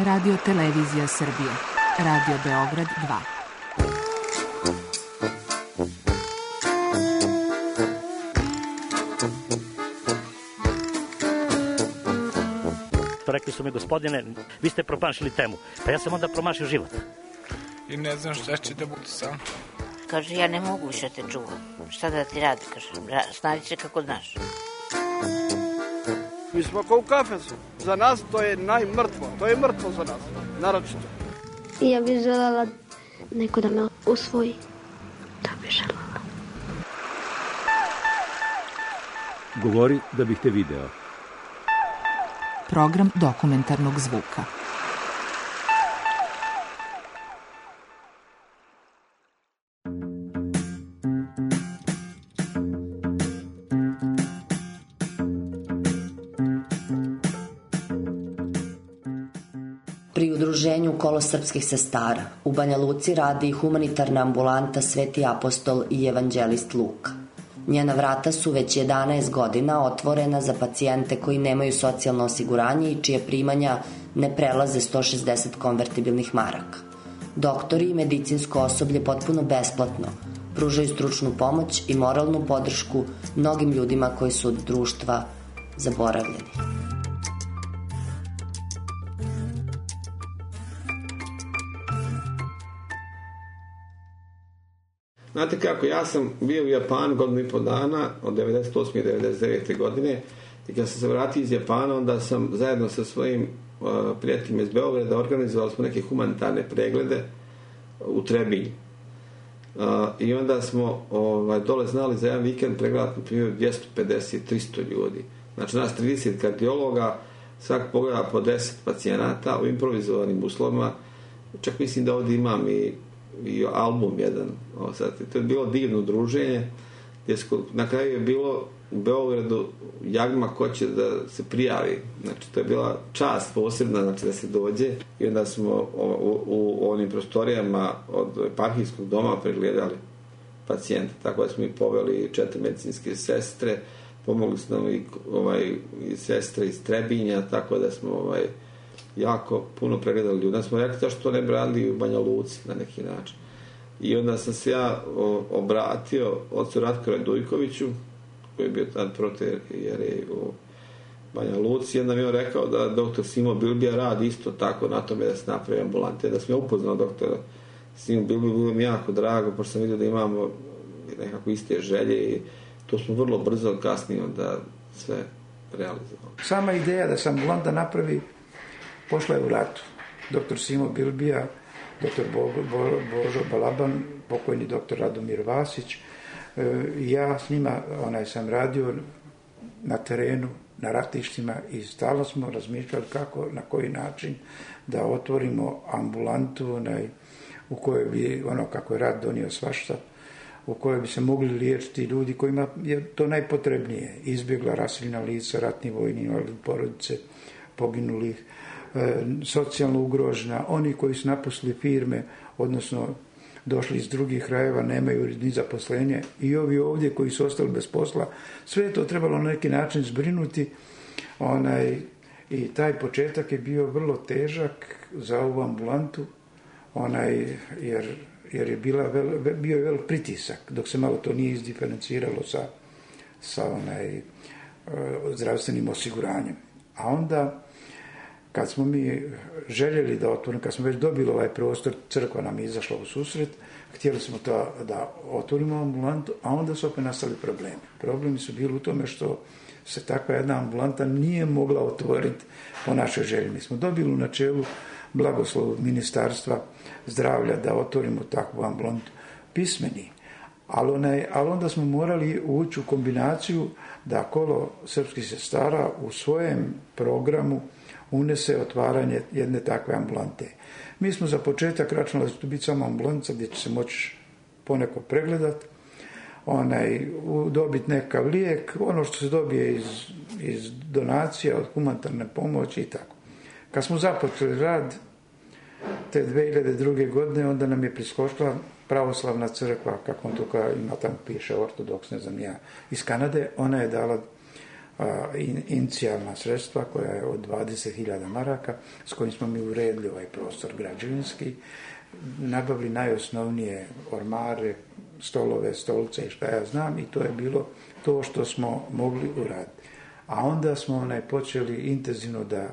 Radio Televizija Srbije. Radio Beograd 2. Rekli su mi, gospodine, vi ste promašili temu. Pa ja sam onda promašio život. I ne znam šta će da bude sam. Kaže, ja ne mogu više te čuvam. Šta da ti radi, kaže, snađi se kako znaš. Mi smo kao u kafesu. Za nas to je najmrtvo. To je mrtvo za nas, naročito. Ja bih željela neko da me usvoji. Da bih željela. Govori da bih te video. Program dokumentarnog zvuka. Pri udruženju Kolo srpskih sestara u Banja Luci radi humanitarna ambulanta Sveti apostol i evanđelist Luka. Njena vrata su već 11 godina otvorena za pacijente koji nemaju socijalno osiguranje i čije primanja ne prelaze 160 konvertibilnih maraka. Doktori i medicinsko osoblje potpuno besplatno pružaju stručnu pomoć i moralnu podršku mnogim ljudima koji su od društva zaboravljeni. Znate kako, ja sam bio u Japanu godinu i po dana, od 98. i 99. godine, i kad sam se vratio iz Japana, onda sam zajedno sa svojim prijateljima iz Beograda organizovali smo neke humanitarne preglede u Trebinju. I onda smo dole znali za jedan vikend pregledati na primjer 250-300 ljudi. Znači nas 30 kardiologa, svak pogleda po 10 pacijenata u improvizovanim uslovima. Čak mislim da ovdje imam i album jedan. To je bilo divno druženje. Na kraju je bilo u Beogradu jagma ko će da se prijavi. Znači to je bila čast posebna, znači da se dođe. I onda smo u onim prostorijama od eparhijskog doma pregledali pacijente. Tako da smo i poveli 4 medicinske sestre, pomogli su nam i sestre iz Trebinja, tako da smo jako puno pregledali ljudi. Onda smo rekli zašto to ne bi radili u Banja Luci na neki način. I onda sam se ja obratio ocu Ratku Radujkoviću, koji je bio tad protoijerej u Banja Luci, i onda mi je rekao da doktor Simo Bilbija radi isto tako na tome da se napravi ambulante. Da sam ja upoznao doktora Simo Bilbija, bilo mi jako drago, pošto sam vidio da imamo nekako iste želje i to smo vrlo brzo kasnije onda sve realizovali. Sama ideja da se ambulanta napravi pošla je u ratu. Doktor Simo Bilbija, doktor Božo Balaban, pokojni doktor Radomir Vasić. Ja s njima sam radio na terenu, na ratištima i stalno smo razmišljali kako, na koji način da otvorimo ambulantu u kojoj bi, kako je rat donio svašta, u kojoj bi se mogli liječiti ljudi kojima je to najpotrebnije. Izbjegla raseljena lica, ratni vojni invalidi, porodice poginulih, socijalno ugrožena, oni koji su napustili firme, odnosno došli iz drugih krajeva, nemaju ni zaposlenje, i ovi ovdje koji su ostali bez posla. Sve je to trebalo na neki način zbrinuti. I taj početak je bio vrlo težak za ovu ambulantu, jer je bio je velik pritisak, dok se malo to nije izdiferenciralo sa zdravstvenim osiguranjem. A onda, kad smo mi željeli da otvorimo, kad smo već dobili ovaj prostor, crkva nam je izašla u susret, htjeli smo da otvorimo ambulantu, a onda su opet nastali problemi. Problemi su bili u tome što se takva jedna ambulanta nije mogla otvoriti po našoj želji. Mi smo dobili u načelu blagoslov Ministarstva zdravlja da otvorimo takvu ambulantu pismeni. Ali onda smo morali ući u kombinaciju da Kolo srpskih sestara u svojem programu unese otvaranje jedne takve ambulante. Mi smo za početak računali da će to biti samo ambulanca gdje će se moći poneko pregledati, dobiti nekav lijek, ono što se dobije iz donacija, od humanitarne pomoći i tako. Kad smo započeli rad te 2002. godine, onda nam je priskočila pravoslavna crkva, kako on to ima tamo piše, ortodoks, ne znam ja, iz Kanade. Ona je dala inicijalna sredstva koja je od 20.000 maraka s kojim smo mi uredili ovaj prostor građevinski, nabavili najosnovnije ormare, stolove, stolice i šta ja znam, i to je bilo to što smo mogli uraditi. A onda smo počeli intenzivno da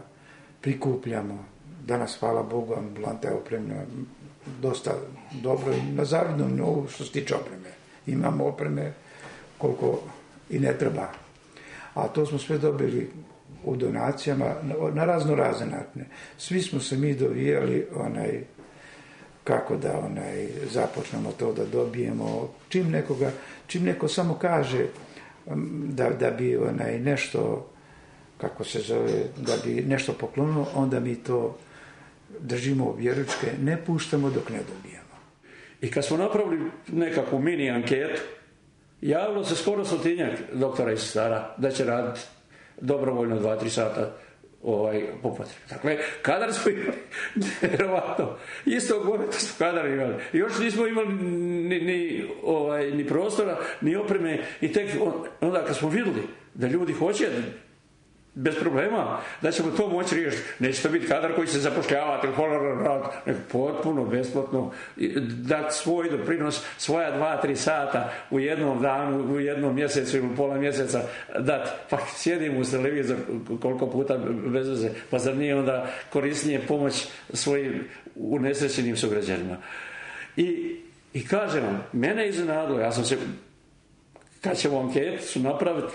prikupljamo. Danas, hvala Bogu, ambulanta je opremljena dosta dobro i na zavidnom nivou što se tiče opreme. Imamo opreme koliko i ne treba. A to smo sve dobili u donacijama na razne načine. Svi smo se mi dovijali kako da započnemo to da dobijemo. Čim neko samo kaže da bi nešto, kako se zove, da bi nešto poklonilo, onda mi to držimo vjeručke, ne puštamo dok ne dobijemo. I kad smo napravili nekakvu mini anketu, javilo se skoro 100 doktora i sestara da će raditi dobrovoljno 2-3 sata po potrebi. Dakle, kadar smo imali, vjerovatno, istog momenta smo kadar imali. I još nismo imali ni prostora, ni opreme, i tek onda kad smo vidjeli da ljudi hoće bez problema, da ćemo to moći riješiti. Neće to biti kadar koji se zapošljavate u holoran rad, nego potpuno besplatno dati svoj doprinos, svoja 2-3 sata u jednom danu, u jednom mjesecu ili pola mjeseca dati. Pa sjedimo uz televizor koliko puta bez veze, pa zar nije onda korisnije pomoć svojim unesrećenim sugrađanima. I kažem vam, mene je iznenadilo, ja sam se, kad ćemo anketu napraviti,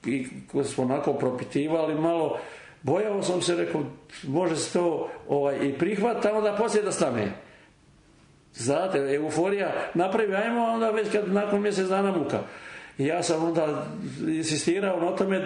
i smo onako propitivali malo, bojao sam se, rekao, može se to i prihvati, a onda poslije da stane. Znate, euforija napravi, ajmo, onda već kad nakon mjesec dana muka. I ja sam onda insistirao na tome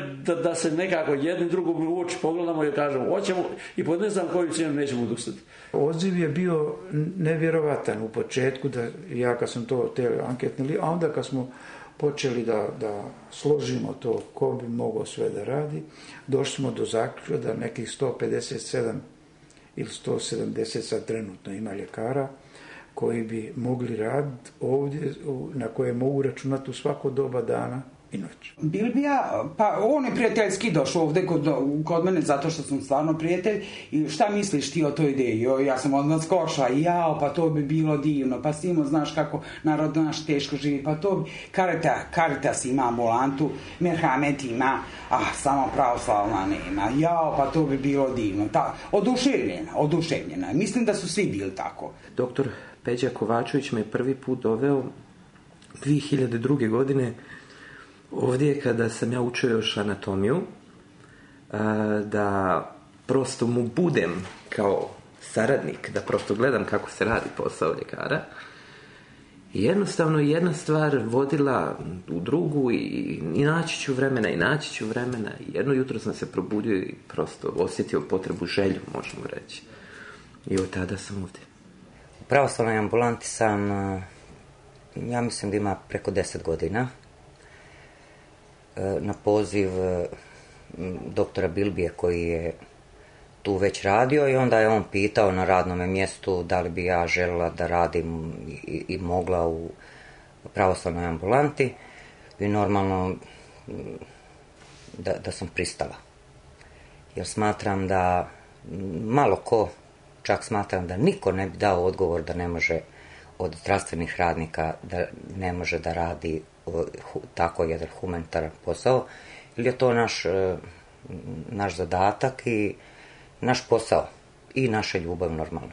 da se nekako jedni drugom u oči pogledamo i kažemo, hoćemo, i pod ne znam koju cijenu nećemo odustati. Odziv je bio nevjerovatan u početku, da ja kad sam to anketnili, a onda kad smo počeli da složimo to ko bi mogao sve da radi, došli smo do zaključka da nekih 157 ili 170 sad trenutno ima ljekara koji bi mogli raditi ovdje, na koje mogu računati u svako doba dana i noć. Bilbija, pa on je prijateljski došao ovdje kod mene zato što sam stvarno prijatelj. I šta misliš ti o toj ideji? Ja sam odmah skoša, pa to bi bilo divno, pa Simo, znaš kako narod naš teško živi, pa to bi, Caritas ima ambulantu, Merhamet ima, samo pravoslavna nema, pa to bi bilo divno. Oduševljena. Mislim da su svi bili tako. Doktor Peđa Kovačević me prvi put doveo 2002. godine ovdje kada sam ja učio još anatomiju, da prosto mu budem kao saradnik, da prosto gledam kako se radi posao ljekara. I jednostavno jedna stvar vodila u drugu i naći ću vremena. I jedno jutro sam se probudio i prosto osjetio potrebu, želju, možemo reći. I od tada sam ovdje. U pravoslavnoj ambulanti sam, ja mislim da ima preko 10 godina. Na poziv doktora Bilbije koji je tu već radio, i onda je on pitao na radnom mjestu da li bi ja željela da radim i mogla u pravoslavnoj ambulanti, i normalno da sam pristala. Jer smatram da malo ko, čak smatram da niko ne bi dao odgovor da ne može od zdravstvenih radnika, da ne može da radi tako jedan humanitaran posao, ili je to naš zadatak i naš posao i naša ljubav normalno.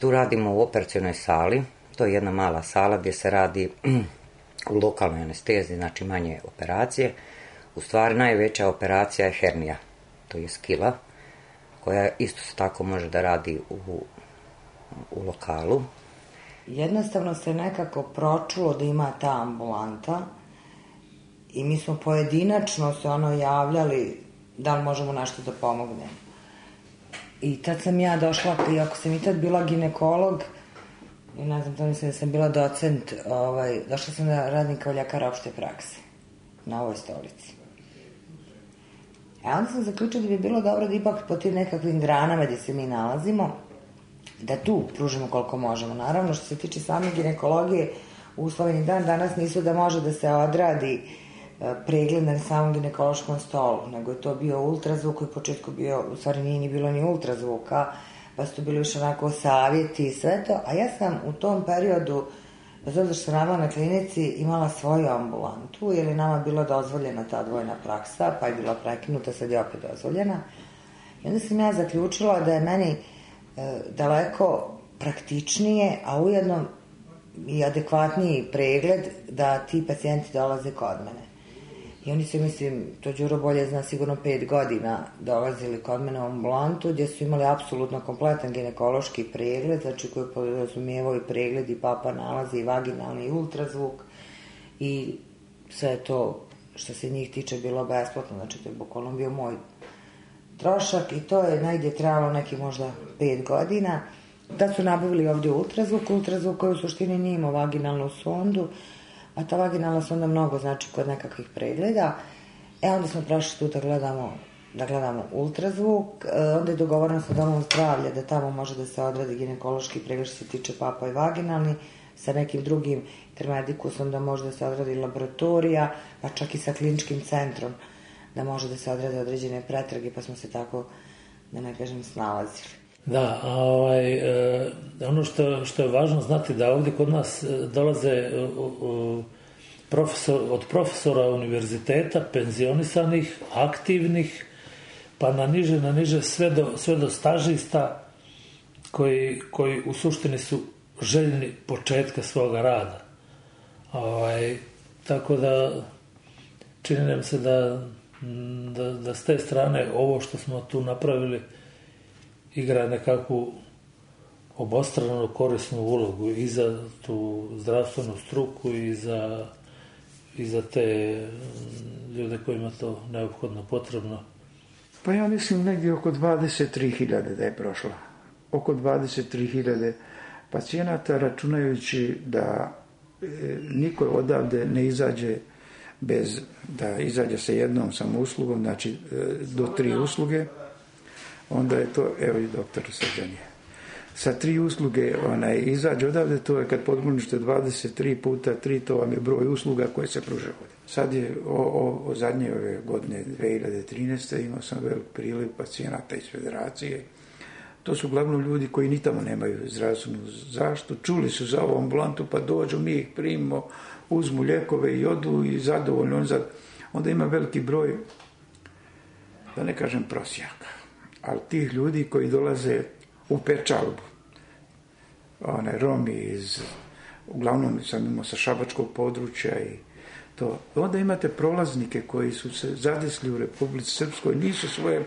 Tu radimo u operacionoj sali, to je jedna mala sala gdje se radi u lokalnoj anesteziji, znači manje operacije. U stvari najveća operacija je hernija, to je skila, koja isto se tako može da radi u lokalu. Jednostavno se nekako pročulo da ima ta ambulanta i mi smo pojedinačno se javljali da li možemo nešto da pomognemo. I tad sam ja došla, iako sam i tad bila ginekolog, i ne znam, to mislim da sam bila docent, došla sam da radim kao ljekar opšte prakse na ovoj stolici. A onda sam zaključila da bi bilo dobro da ipak po tim nekakvim granama gdje se mi nalazimo, da tu pružimo koliko možemo. Naravno, što se tiče same ginekologije, usloveni dan danas nisu da može da se odradi pregled na samom ginekološkom stolu, nego je to bio ultrazvuk koji u početku bio, u stvari nije ni bilo ni ultrazvuka, pa su to bili još onako savjeti i sve to, a ja sam u tom periodu, bez obzira što sam radila na klinici, imala svoju ambulantu, jer je nama bila dozvoljena ta odvojena praksa, pa je bila prekinuta, sad je opet dozvoljena. I onda sam ja zaključila da je meni daleko praktičnije, a ujedno i adekvatniji pregled da ti pacijenti dolaze kod mene. I oni su, mislim, to Đuro bolje zna, sigurno 5 godina dolazili kod mene u ambulantu, gdje su imali apsolutno kompletan ginekološki pregled, znači koji podrazumijevao i pregled i papa nalazi i vaginalni i ultrazvuk i sve to što se njih tiče bilo besplatno, znači to je bukvalno bio moj trošak i to je negdje trajalo neki možda 5 godina. Da su nabavili ovdje ultrazvuk koji u suštini nije imao vaginalnu sondu, a ta vaginalna sonda mnogo znači kod nekakvih pregleda. Onda smo prešli tu da gledamo ultrazvuk, onda je dogovoreno sa domom zdravlja da tamo može da se odradi ginekološki pregled što se tiče papa i vaginalni, sa nekim drugim intermedikusom da može da se odradi laboratorija, pa čak i sa kliničkim centrom da može da se odrade određene pretrage, pa smo se tako, da ne kažem, snalazili. Da, ono što je važno znati da ovdje kod nas dolaze od profesora univerziteta, penzionisanih, aktivnih, pa na niže sve do stažista koji u suštini su željni početka svoga rada. Tako da čini nam se da s te strane ovo što smo tu napravili igra nekakvu obostranu korisnu ulogu i za tu zdravstvenu struku i za te ljude kojima to neophodno potrebno. Pa ja mislim negdje oko 23.000 da je prošla. Oko 23.000 pacijenata, računajući da niko odavde ne izađe bez da izađe sa jednom samo uslugom, znači do 3 usluge, onda je to, evo i doktor Srđan je. Sa 3 usluge izađe odavde, to je kad podmonište 23 puta 3, to vam je broj usluga koje se pruža ovdje. Sad je o zadnje ove godine 2013. imao sam velik priliv pacijenata iz federacije. To su uglavnom ljudi koji ni tamo nemaju zdravstvenu zaštitu, čuli su za ovu ambulantu pa dođu, mi ih primimo, uzmu lijekove i odu i zadovoljno. Onda ima veliki broj, da ne kažem prosjaka, ali tih ljudi koji dolaze u Pečalbu, Romi uglavnom sam imao sa šabačkog područja i to. Onda imate prolaznike koji su se zadesli u Republici Srpskoj, nisu svoje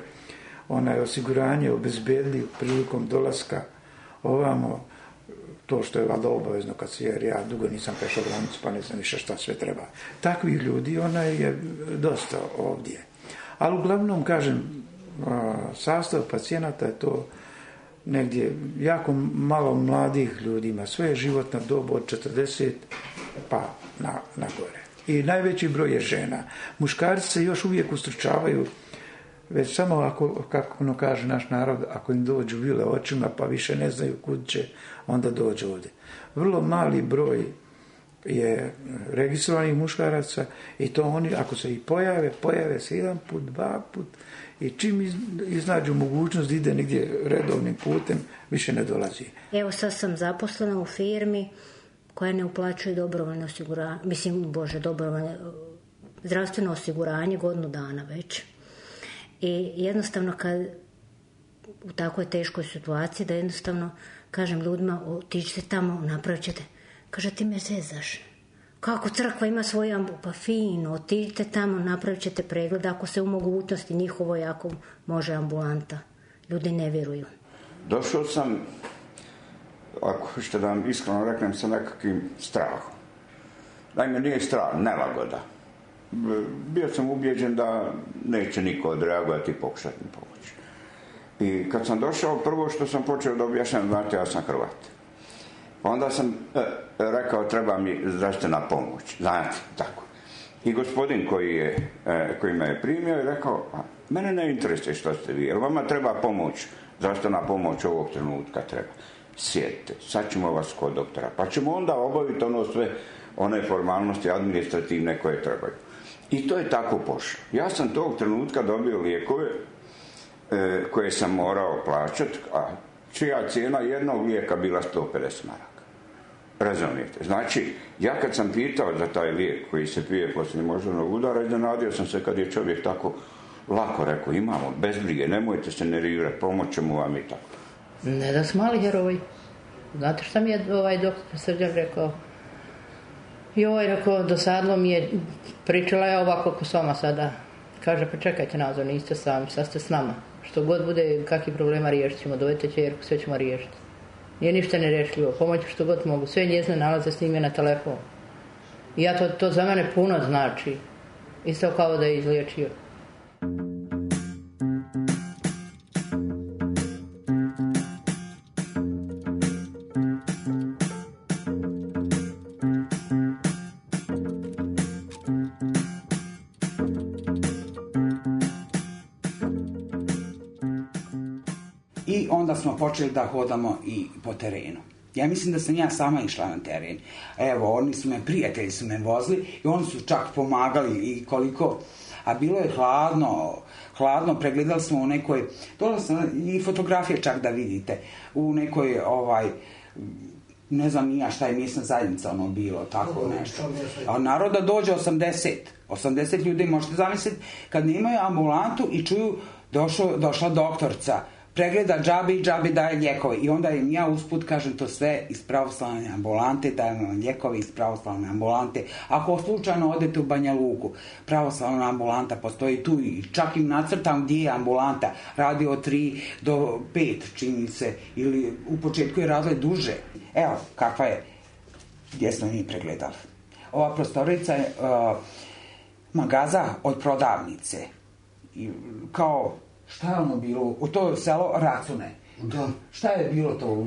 osiguranje obezbedili prilikom dolaska ovamo, to što je valjda obavezno jer ja dugo nisam prešao granicu pa ne znam više šta sve treba. Takvih ljudi je dosta ovdje. Ali uglavnom, kažem, sastav pacijenata je to negdje jako malo mladih ljudi ima. Sve je životna doba od 40 pa na gore. I najveći broj je žena. Muškarci se još uvijek ustručavaju, već samo ako, kako kaže naš narod, ako im dođu vile očima pa više ne znaju kud će, onda dođu ovdje. Vrlo mali broj je registrovanih muškaraca i to oni, ako se i pojave se 1 put, 2 put i čim iznađu mogućnost da ide negdje redovnim putem, više ne dolazi. Evo sad sam zaposlena u firmi koja ne uplaćuje dobrovoljno osiguranje, dobrovoljno zdravstveno osiguranje godinu dana već. I jednostavno kad u takvoj teškoj situaciji da jednostavno kažem ljudima otiđite tamo, napravit ćete. Kaže, ti me zezaš. Kako crkva ima svoju pa fino, otiđite tamo, napravit ćete pregled ako se u mogućnosti njihovoj ako može ambulanta. Ljudi ne vjeruju. Došao sam, ako hoćete da vam iskreno reknem, sa nekakvim strahom. Naime, nije strah, nelagoda. Bio sam ubijeđen da neće niko odreagovati i pokušati mi pomoći. I kad sam došao, prvo što sam počeo da objašnjam, znate, ja sam Hrvat. Onda sam rekao, treba mi zdravstvena pomoć, znate, tako. I gospodin koji me je primio je rekao, mene ne interesuje što ste vi, jer vama treba pomoć, zdravstvena pomoć ovog trenutka treba. Sjedite, sad ćemo vas kod doktora, pa ćemo onda obaviti ono sve one formalnosti administrativne koje trebaju. I to je tako pošlo. Ja sam tog trenutka dobio lijekove koje sam morao plaćati, a čija cijena jednog lijeka bila 150 maraka. Razumijete? Znači, ja kad sam pitao za taj lijek koji se pije poslije moždanog udara, iznenadio sam se kad je čovjek tako lako rekao, imamo, bez brige, nemojte se nervirati, pomoćemo vam i tako. Ne da su mali heroji. Znate šta mi je doktor Srđan rekao? Rekao, dosadlo mi je, pričala je ovako ko s vama sada. Kaže, pa čekajte Nazo, niste sami, sad ste s nama. Što god bude, kakvih problema riješit ćemo, dovedite ćerku, sve ćemo riješiti. Nije ništa nerešljivo, pomoći što god mogu. Sve njezine nalaze snime na telefon. I to za mene puno znači. Isto kao da je izliječio. I onda smo počeli da hodamo i po terenu. Ja mislim da sam ja sama išla na teren. Evo, prijatelji su me vozili i oni su čak pomagali i koliko, a bilo je hladno, pregledali smo u nekoj, dole sam i fotografije čak da vidite, u nekoj, ne znam ni ja šta je mjesna zajednica bilo, tako nešto. A naroda dođe 80 ljudi, možete zamisliti, kad nemaju ambulantu i čuju došla doktorca, pregleda džabe i džabe daje lijekove. I onda im ja usput kažem to sve iz pravoslavne ambulante, dajem vam lijekove iz pravoslavne ambulante. Ako slučajno odete u Banja Luku, pravoslavna ambulanta postoji tu i čak im nacrtam gdje je ambulanta. Radi od 3 do 5, čini se, ili u početku je radila duže. Evo, kakva je, gdje smo mi pregledali. Ova prostorica je magaza od prodavnice. I kao, šta je ono bilo? U to selo Racune. Da. Šta je bilo to?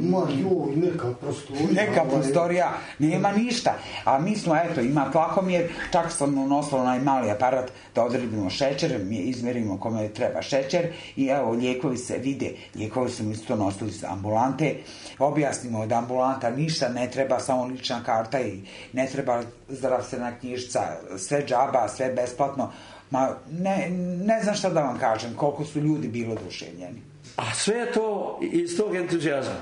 Neka prostorija. Nema ništa. A mi smo, ima tlakomjer, čak sam nosila onaj mali aparat da odredimo šećer, mi izmerimo kome treba šećer i evo, lijekovi se vide. Lijekovi su mi isto nosili iz ambulante. Objasnimo da ambulanta ništa ne treba, samo lična karta i ne treba zdravstvena knjižica, sve džaba, sve besplatno. Ne znam šta da vam kažem, koliko su ljudi bilo oduševljeni. A sve je to iz tog entuzijazma.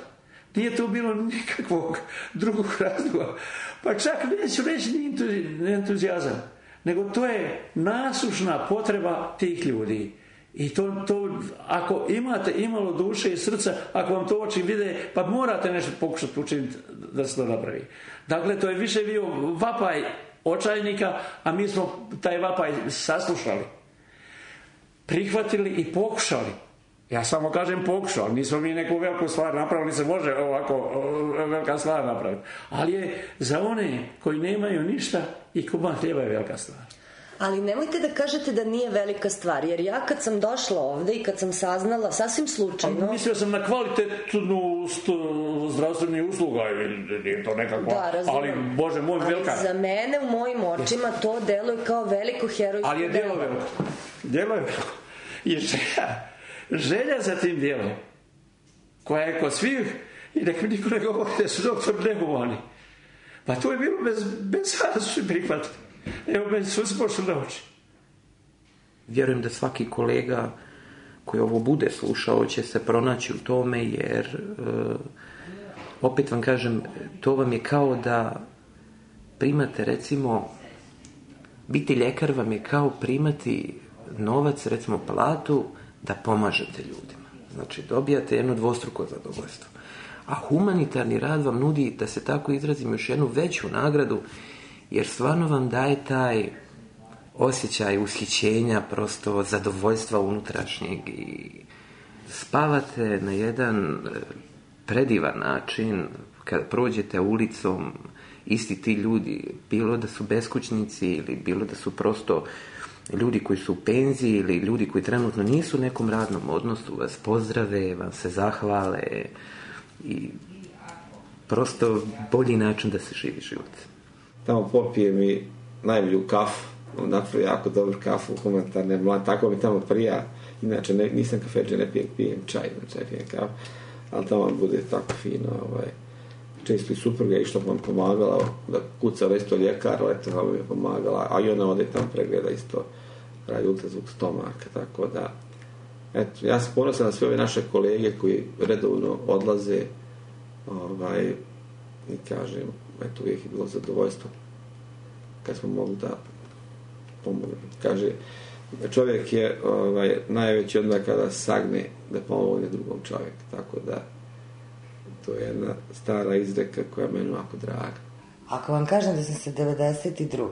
Nije to bilo nikakvog drugog razloga. Pa čak neću reći ni entuzijazam, nego to je nasušna potreba tih ljudi. I to ako imate imalo duše i srca, ako vam to oči vide, pa morate nešto pokušati učiniti da se to napravi. Dakle, to je više bio vapaj očajnika, a mi smo taj vapaj saslušali, prihvatili i pokušali. Ja samo kažem pokušao, nismo mi neku veliku stvar napravili, se može ovako velika stvar napraviti. Ali je za one koji nemaju ništa i komad hljeba je velika stvar. Ali nemojte da kažete da nije velika stvar, jer ja kad sam došla ovde i kad sam saznala, sasvim slučajno... Mislio sam na kvalitetnu zdravstvenu usluga, nije to nekako, ali Bože moj, velika. Ali za mene, u mojim očima, to deluje kao veliko herojsko. Ali je delo veliko. Delo je veliko. I želja za tim djelom, koja je kod svih, i nek mi niko ne govori da su doktor nehumani. Pa to je bilo bez sada su prihvatili. Evo, meni su se pošli na oči. Vjerujem da svaki kolega koji ovo bude slušao će se pronaći u tome, jer opet vam kažem, to vam je kao da primate, recimo, biti ljekar vam je kao primati novac, recimo platu, da pomažete ljudima. Znači, dobijate jedno dvostruko zadovoljstvo. A humanitarni rad vam nudi, da se tako izrazim, još jednu veću nagradu, jer stvarno vam daje taj osjećaj ushićenja, prosto zadovoljstva unutrašnjeg i spavate na jedan predivan način kad prođete ulicom, isti ti ljudi, bilo da su beskućnici ili bilo da su prosto ljudi koji su u penziji ili ljudi koji trenutno nisu u nekom radnom odnosu, vas pozdrave, vam se zahvale i prosto bolji način da se živi život. Tamo popije mi najbolju kafu, napravi jako dobru kafu, humanitarne mlade, tako mi tamo prija. Inače, nisam kafeđe, ne pijem čaj pijem kafu, ali tamo bude tako fino. često i supruga je išla vam pomagala da kucala isto ljekar, letala mi je pomagala, a i ona ode tam pregleda isto, radi ultrazvuk stomaka, tako da eto, ja sam ponosan na sve ove naše kolege koji redovno odlaze i kažem, eto, uvijek je bilo zadovoljstvo kad smo mogli da pomogu. Kaže, čovjek je najveći onda kada sagne da pomogne drugom čovjeku, tako da to je jedna stara izreka koja je meni ovako draga. Ako vam kažem da sam se 92.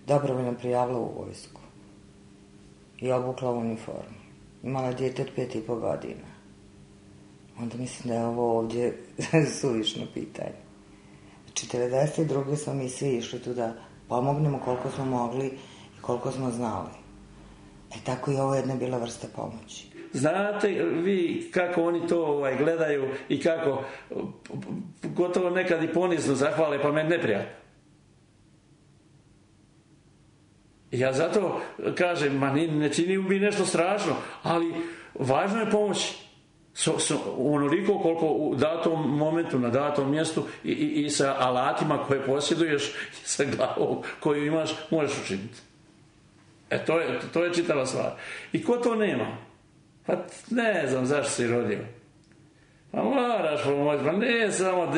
dobrovoljno prijavila u vojsku i obukla uniformu, imala dijete od 5,5 godina, onda mislim da je ovo ovdje suvišno pitanje. Znači, 92. smo mi svi išli tu da pomognemo koliko smo mogli i koliko smo znali. Tako i ovo jedna bila vrsta pomoći. Znate vi kako oni to gledaju i kako gotovo nekad i ponizno zahvale, pa meni neprijatno. Ja zato kažem, ne čini mi nešto strašno, ali važno je pomoći. Onoliko koliko u datom momentu, na datom mjestu i sa alatima koje posjeduješ i sa glavom koju imaš, možeš učiniti. To je čitava stvar. I ko to nema? Pa ne znam zašto si rodio. Pa moraš pomoći, pa ne samo...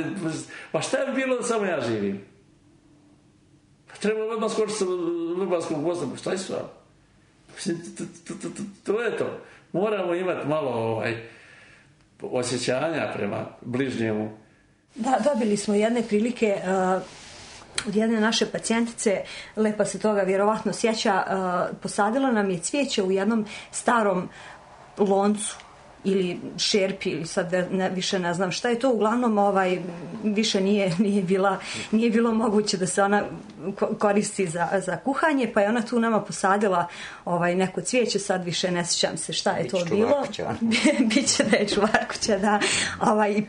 Pa šta je bilo da samo ja živim? Pa treba odmah skočiti sa Vrbanskog mosta, šta je stvar? To je to. Moramo imati malo osjećanja prema bližnjemu. Da, dobili smo jedne prilike od jedne naše pacijentice, lepa se toga vjerovatno sjeća, posadila nam je cvijeće u jednom starom loncu ili šerpi, ili sad više ne znam šta je to, uglavnom više nije bilo moguće da se ona koristi za kuhanje, pa je ona tu nama posadila neko cvijeće, sad više ne sjećam se šta je to bilo. Biće da je čuvarkuća, da, i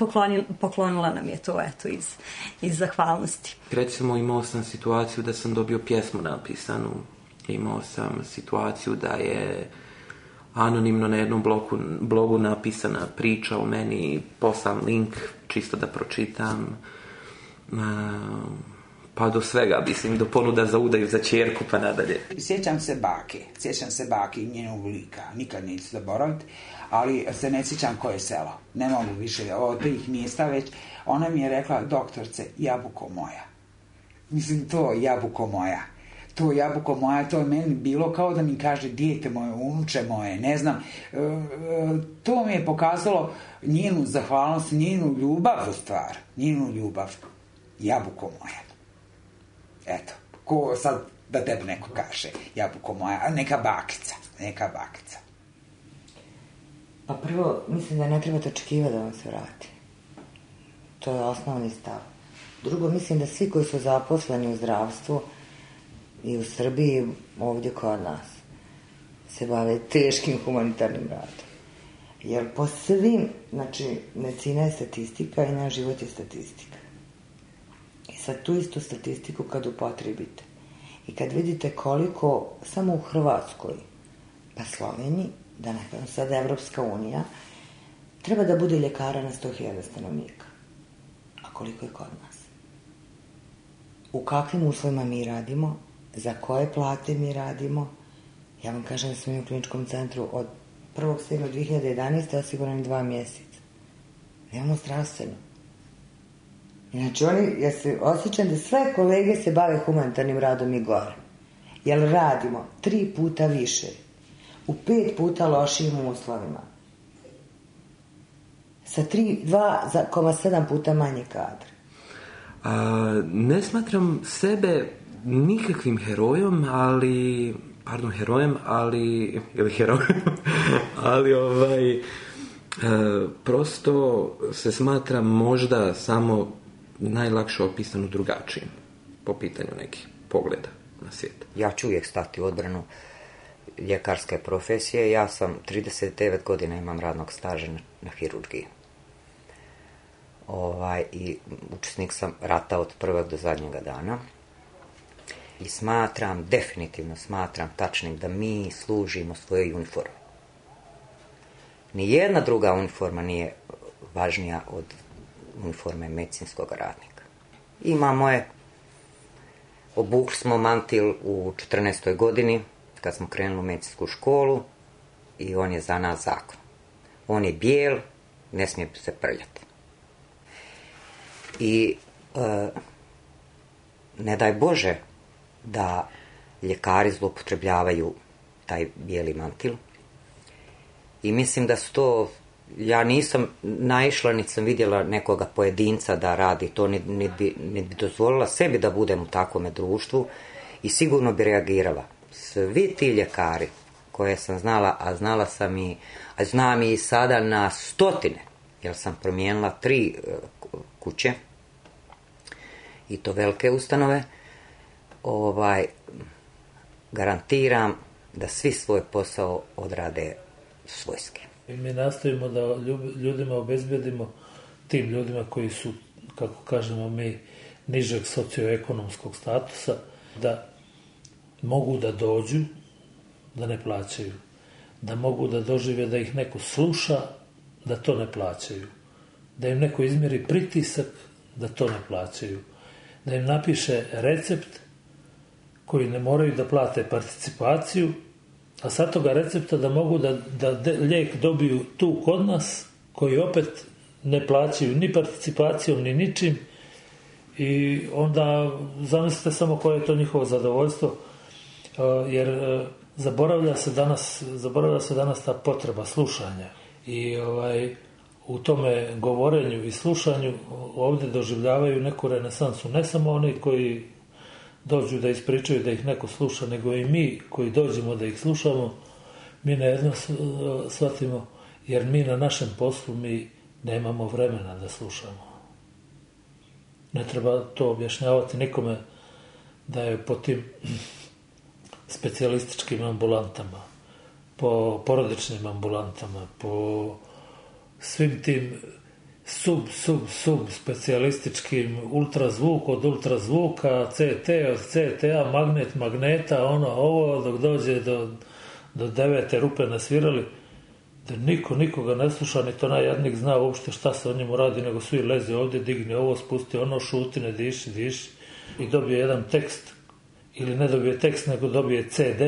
poklonila nam je to, eto, iz zahvalnosti. Recimo, imao sam situaciju da sam dobio pjesmu napisanu, imao sam situaciju da je anonimno na jednom blogu napisana priča o meni, poslam link čisto da pročitam, pa do svega, mislim, do ponuda za udaju za ćerku pa nadalje. Sjećam se bake i njenog lika, nikad neću zaboraviti, ali se ne sjećam koje selo, ne mogu više od tih mjesta već. Ona mi je rekla, doktorce, jabuko moja. Mislim, to jabuko moja. To jabuko moja, to je meni bilo kao da mi kaže dijete moje, unuče moje, ne znam. To mi je pokazalo njenu zahvalnost, njenu ljubav u stvar, njenu ljubav. Jabuko moja. Eto, ko sad da tebi neko kaže, jabuko moja, neka bakica. Pa prvo, mislim da ne trebate očekivati da vam se vrati. To je osnovni stav. Drugo, mislim da svi koji su zaposleni u zdravstvu i u Srbiji, ovdje kod nas, se bave teškim humanitarnim radom. Jer po svim, znači, medicina je statistika i naš život je statistika. I sad tu istu statistiku kad upotrebite i kad vidite koliko samo u Hrvatskoj, pa Sloveniji, da ne kažem sada Evropska unija, treba da bude ljekara na 100.000 stanovnika. A koliko je kod nas? U kakvim uslovima mi radimo? Za koje plate mi radimo? Ja vam kažem da smo mi u kliničkom centru od 1.7. 2011. osigurani 2 mjeseca. Nemamo zdravstveno. Znači, ja se osjećam da sve kolege se bave humanitarnim radom i gore. Jer radimo 3 puta više, u 5 puta lošijim uslovima, sa 2,7 puta manje kadra. Ne smatram sebe nikakvim herojom, ali prosto se smatram možda samo najlakše opisano drugačijim po pitanju nekih pogleda na svijet. Ja ću uvijek stati u odbranu ljekarske profesije. Ja sam 39 godina imam radnog staža na hirurgiji. I učesnik sam rata od prvog do zadnjega dana. I definitivno smatram tačnim da mi služimo svojoj uniformi. Nijedna druga uniforma nije važnija od uniforme medicinskog radnika. Imamo je, obukli smo mantil u 14. godini, kad smo krenuli u medicinsku školu, i on je za nas zakon. On je bijel, ne smije se prljati. I ne daj Bože da ljekari zloupotrebljavaju taj bijeli mantil. I mislim da su to, ja nisam naišla, niti sam vidjela nekoga pojedinca da radi to, niti bi dozvolila sebi da budem u takvome društvu i sigurno bi reagirala. Svi ti ljekari koje sam znala, a znala sam a znam i sada na stotine, jer sam promijenila 3 kuće, i to velike ustanove, garantiram da svi svoj posao odrade svojski. Mi nastojimo da ljudima obezbedimo, tim ljudima koji su, kako kažemo mi, nižeg socioekonomskog statusa, da mogu da dođu, da ne plaćaju, da mogu da dožive da ih neko sluša, da to ne plaćaju, da im neko izmjeri pritisak, da to ne plaćaju, da im napiše recept koji ne moraju da plate participaciju, a sad toga recepta da mogu da lijek dobiju tu kod nas, koji opet ne plaćaju ni participacijom, ni ničim, i onda zamislite samo koje je to njihovo zadovoljstvo, jer zaboravlja se danas ta potreba slušanja. I u tome govorenju i slušanju ovdje doživljavaju neku renesansu. Ne samo oni koji dođu da ispričaju da ih neko sluša, nego i mi koji dođemo da ih slušamo, mi na jedno shvatimo, jer mi na našem poslu mi nemamo vremena da slušamo. Ne treba to objašnjavati nikome da je po tim specijalističkim ambulantama, po porodičnim ambulantama, po svim tim sub specijalističkim, ultrazvuk od ultrazvuka, CT od CTA, magneta, ovo, dok dođe do 9. rupe nasvirali, da nikoga ne sluša, ni to najjadnik zna uopšte šta se o njemu radi, nego svi leze ovdje, digni ovo, spusti ono, šuti, ne diši, i dobije jedan tekst, ili ne dobije tekst, nego dobije CD,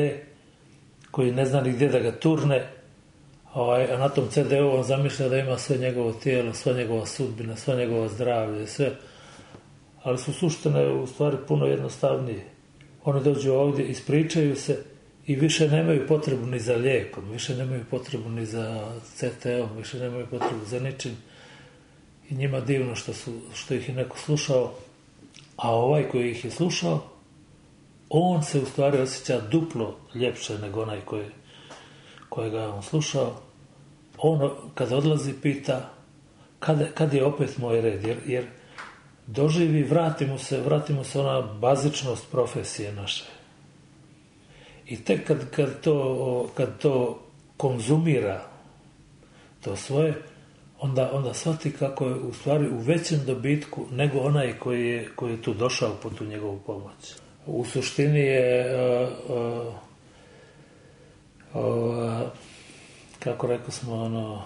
koji ne zna ni gdje da ga turne, a na tom CD-u on zamišlja da ima sve njegovo tijelo, sva njegova sudbina, sva njegova zdravlje, sve. Ali su suštine u stvari puno jednostavnije. Oni dođu ovdje, ispričaju se i više nemaju potrebu ni za lijekom, više nemaju potrebu ni za CT-om, više nemaju potrebu za ničim. I njima divno što ih je neko slušao, a ovaj koji ih je slušao, on se u stvari osjeća duplo ljepše nego onaj kojega je on slušao. On kad odlazi pita kad je opet moj red, jer doživi, vratimo se ona bazičnost profesije naše. I tek kad to konzumira to svoje, onda shvati kako je u stvari u većem dobitku nego onaj koji je tu došao po tu njegovu pomoć. U suštini je kako rekao smo,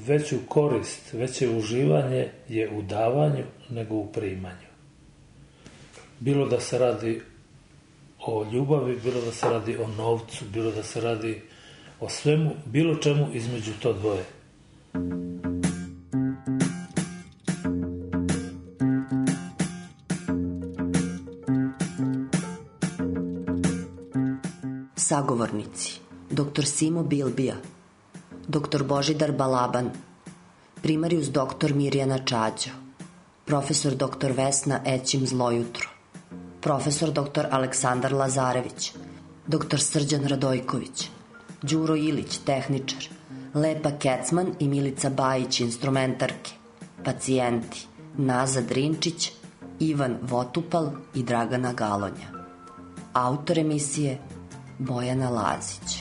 veću korist, veće uživanje je u davanju nego u primanju. Bilo da se radi o ljubavi, bilo da se radi o novcu, bilo da se radi o svemu, bilo čemu između to dvoje. Sagovornici: dr. Simo Bilbija, dr. Božidar Balaban, primarius dr. Mirjana Čađo, profesor dr. Vesna Ećim Zlojutro, profesor dr. Aleksandar Lazarević, dr. Srđan Radojković, Đuro Ilić, tehničar, Lepa Kecman i Milica Bajić, instrumentarke, pacijenti Naza Drinčić, Ivan Votupal i Dragana Galonja. Autor emisije Bojana Lazić.